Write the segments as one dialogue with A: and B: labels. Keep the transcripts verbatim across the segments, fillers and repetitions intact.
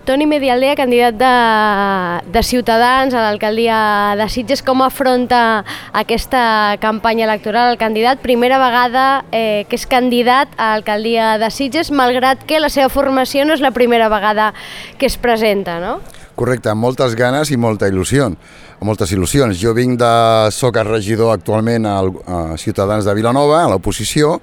A: Toni Medialdea, candidat de, de Ciutadans a l'alcaldia de Sitges, com afronta aquesta campanya electoral el candidat? Primera vegada eh, que és candidat a l'alcaldia de Sitges, malgrat que la seva formació no és la primera vegada que es presenta, no?
B: Correcte, amb moltes ganes i molta il·lusió, amb moltes il·lusions. Jo vinc de... soc el regidor actualment al, a Ciutadans de Vilanova, a l'oposició,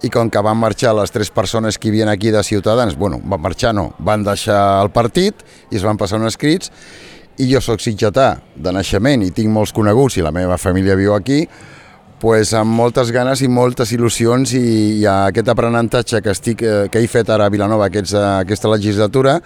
B: i com que van marxar les tres persones que hi havia aquí de Ciutadans, bueno, van marxar no, van deixar el partit i es van passar uns escrits, i jo soc sitgetà de naixement i tinc molts coneguts i la meva família viu aquí, pues amb moltes ganes i moltes il·lusions, i, i aquest aprenentatge que, estic, que he fet ara a Vilanova aquesta, aquesta legislatura,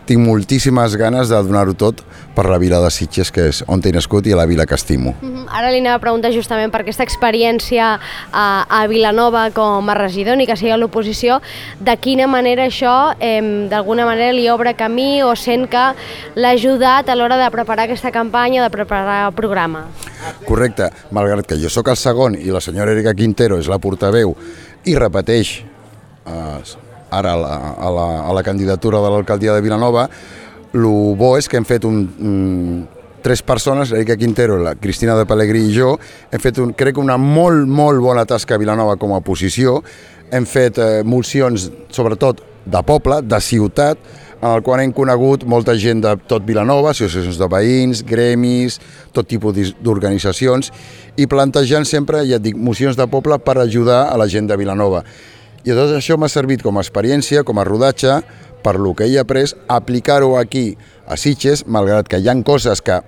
B: tinc moltíssimes ganes de donar-ho tot per la vila de Sitges, que és on he nascut i a la vila que estimo.
A: Mm-hmm. Ara li anava a preguntar justament per aquesta experiència a, a Vilanova com a regidor, ni que sigui a l'oposició, de quina manera això eh, d'alguna manera li obre camí o sent que l'ha ajudat a l'hora de preparar aquesta campanya, de preparar el programa.
B: Correcte, malgrat que jo sóc el segon i la senyora Erika Quintero és la portaveu i repeteix eh, ara a la, a, la, a la candidatura de l'alcaldia de Vilanova, el bo és que hem fet un, un, tres persones, l'Erika Quintero, la Cristina de Pellegrí i jo, hem fet un, crec una molt, molt bona tasca a Vilanova com a oposició, hem fet eh, mocions sobretot de poble, de ciutat, en el qual hem conegut molta gent de tot Vilanova, associacions de veïns, gremis, tot tipus d'organitzacions, i plantejant sempre, ja et dic, mocions de poble per ajudar a la gent de Vilanova. I tot això m'ha servit com a experiència, com a rodatge, per lo que he après, aplicar-ho aquí a Sitges, malgrat que hi ha coses que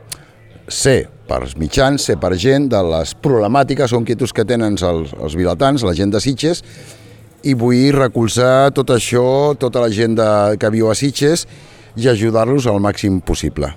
B: sé per mitjans, sé per gent, de les problemàtiques o inquietuds que tenen els, els vilatans, la gent de Sitges, i vull recolzar tot això, tota la gent de, que viu a Sitges, i ajudar-los al màxim possible.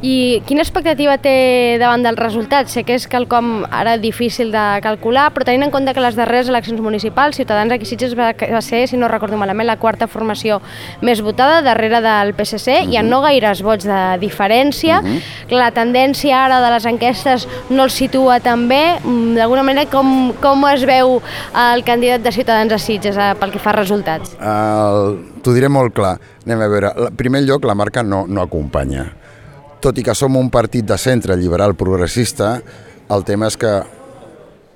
A: I quina expectativa té davant dels resultats? Sé que és quelcom ara difícil de calcular, però tenint en compte que les darreres eleccions municipals, Ciutadans aquí a Sitges va, va ser, si no recordo malament, la quarta formació més votada, darrere del P S C, uh-huh. Hi ha no gaires vots de diferència, uh-huh. La tendència ara de les enquestes no el situa tan bé, d'alguna manera com, com es veu el candidat de Ciutadans a Sitges eh, pel que fa a resultats?
B: El... T'ho diré molt clar. Anem a veure. En primer lloc, la marca no, no acompanya. Tot i que som un partit de centre liberal progressista, el tema és que,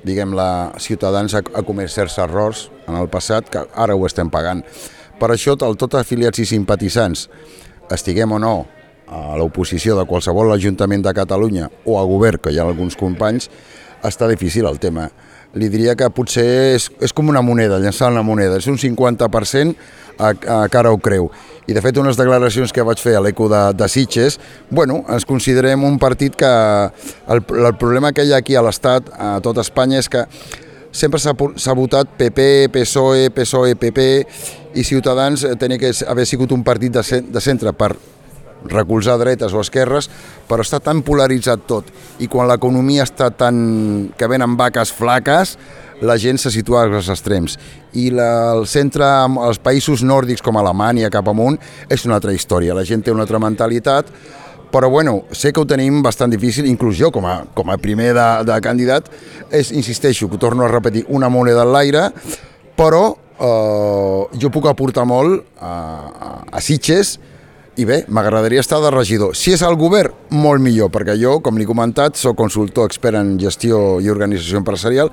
B: diguem, la Ciutadans ha, ha comès certs errors en el passat, que ara ho estem pagant. Per això, el tot afiliats i simpatitzants, estiguem o no a l'oposició de qualsevol ajuntament de Catalunya o a govern, que hi ha alguns companys, està difícil el tema. Li diria que potser és, és com una moneda, llançar una moneda, és un cinquanta per cent a, a cara o creu. I de fet unes declaracions que vaig fer a l'Eco de, de Sitges, bueno, ens considerem un partit que el, el problema que hi ha aquí a l'Estat, a tot Espanya, és que sempre s'ha votat P P, P S O E, P S O E, P P, i Ciutadans tenia que haver sigut un partit de, de centre per recolzar dretes o esquerres, però està tan polaritzat tot, i quan l'economia està tan... que venen vaques flaques, la gent se situa als extrems. I la, el centre, els països nòrdics com Alemanya, cap amunt, és una altra història. La gent té una altra mentalitat, però bueno, sé que ho tenim bastant difícil, inclús jo com a, com a primer de, de candidat, és, insisteixo, que ho torno a repetir, una moneda en l'aire, però eh, jo puc aportar molt a, a, a Sitges. I bé, m'agradaria estar de regidor. Si és el govern, molt millor, perquè jo, com l'he comentat, soc consultor expert en gestió i organització empresarial,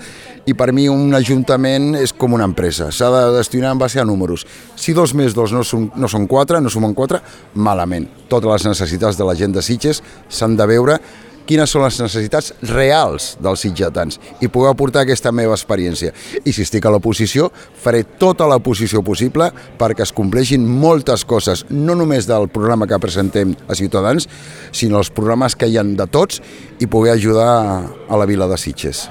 B: i per mi un ajuntament és com una empresa, s'ha de gestionar en base a números. Si dos més dos no són, no són quatre, no sumen quatre, malament. Totes les necessitats de la gent de Sitges s'han de veure quines són les necessitats reals dels sitgetans i poder aportar aquesta meva experiència. I si estic a l'oposició, faré tota l'oposició possible perquè es compleixin moltes coses, no només del programa que presentem a Ciutadans, sinó els programes que hi ha de tots i poder ajudar a la vila de Sitges.